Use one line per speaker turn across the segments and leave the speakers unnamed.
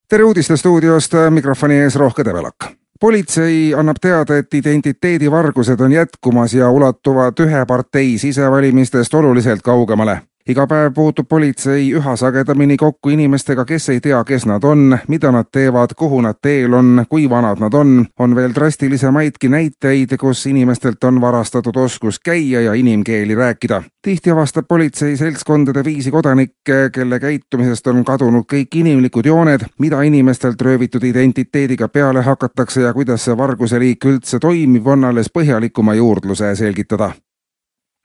Tere uudistestuudiost, mikrofoni ees Rohke Debelak. Politsei annab teada, et identiteedivargused on jätkumas ja ulatuvad ühe partei sisevalimistest oluliselt kaugemale. Iga päev puutub politsei üha sagedamini kokku inimestega, kes ei tea, kes nad on, mida nad teevad, kuhu nad teel on, kui vanad nad on. On veel drastilisemaidki näiteid, kus inimestelt on varastatud oskus käia ja inimkeeli rääkida. Tihti avastab politsei seltskondade viisi kodanikke, kelle käitumisest on kadunud kõik inimlikud jooned, mida inimestelt röövitud identiteediga peale hakatakse ja kuidas see varguse liik üldse toimib, on alles põhjalikuma juurdluse selgitada.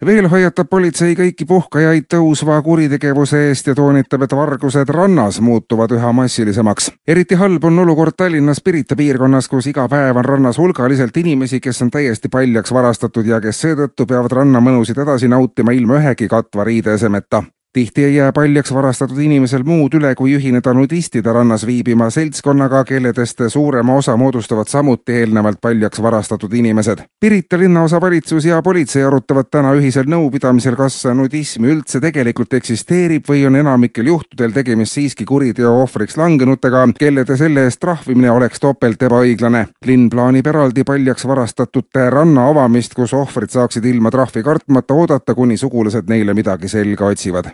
Veel hoiatab politsei kõiki puhkajaid tõusva kuritegevuse eest ja toonitab, et vargused rannas muutuvad üha massilisemaks. Eriti halb on olukord Tallinnas Pirita piirkonnas, kus iga päev on rannas hulgaliselt inimesi, kes on täiesti paljaks varastatud ja kes seetõttu peavad rannamõnusid edasi nautima ilma ühegi katva riideesemeta. Tihti ei jää paljaks varastatud inimesel muud üle, kui ühineda nudistide rannas viibima seltskonnaga, kelledest suurema osa moodustavad samuti eelnevalt paljaks varastatud inimesed. Pirita linnaosa valitsus ja politsei arutavad täna ühisel nõupidamisel, kas nudism üldse tegelikult eksisteerib või on enamikel juhtudel tegemist siiski kuriteo ohvriks langenutega, kellede selle eest trahvimine oleks topelt ebaõiglane. Linn plaanib eraldi paljaks varastatute ranna avamist, kus ohvrid saaksid ilma trahvi kartmata oodata, kuni sugulased neile midagi selga otsivad.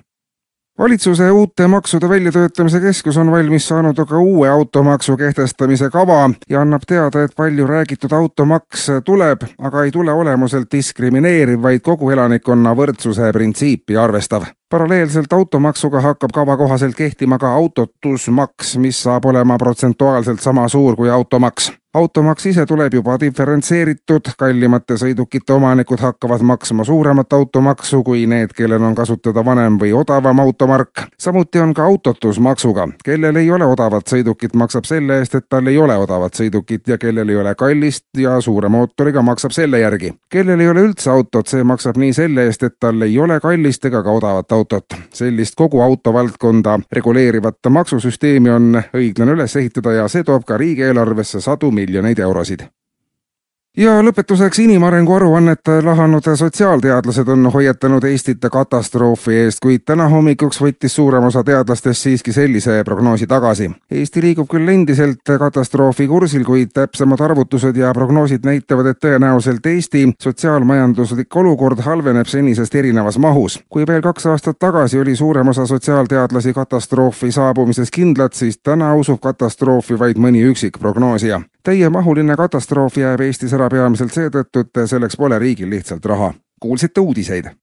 Valitsuse uute maksude väljatöötamise keskus on valmis saanud aga uue automaksu kehtestamise kava ja annab teada, et palju räägitud automaks tuleb, aga ei tule olemuselt diskrimineeriv, vaid kogu elanikkonna võrdsuse printsiipi arvestav. Paralleelselt automaksuga hakkab kava kohaselt kehtima ka autotusmaks, mis saab olema protsentuaalselt sama suur kui automaks. Automaks ise tuleb juba diferentseeritud, kallimate sõidukite omanikud hakkavad maksma suuremat automaksu kui need, kellel on kasutada vanem või odavam automark. Samuti on ka autotusmaksuga. Kellel ei ole odavat sõidukit, maksab selle eest, et tal ei ole odavat sõidukit ja kellel ei ole kallist ja suure mootoriga, maksab selle järgi. Kellel ei ole üldse autot, see maksab nii selle eest, et tal ei ole kallist ega ka odavat autot. Sellist kogu autovaldkonda reguleerivat maksusüsteemi on õiglane üles ehitada ja see toob ka riigieelarvesse sadu miljoneid eurosid. Ja lõpetuseks inimarengu aruannet lahanud sotsiaalteadlased on hoiatanud Eestit katastroofi eest, kuid täna hommikuks võttis suurem osa teadlastest siiski sellise prognoosi tagasi. Eesti liigub küll endiselt katastroofi kursil, kuid täpsemad arvutused ja prognoosid näitavad, et tõenäoliselt Eesti sotsiaalmajanduslik olukord halveneb senisest erinevas mahus. Kui veel 2 aastat tagasi oli suurem osa sotsiaalteadlasi katastroofi saabumises kindlad, siis täna usub katastroofi vaid mõni üksik prognoosija. Täiemahuline katastroof jääb Eestis ära peamiselt seetõttu, et selleks pole riigil lihtsalt raha. Kuulsite uudiseid.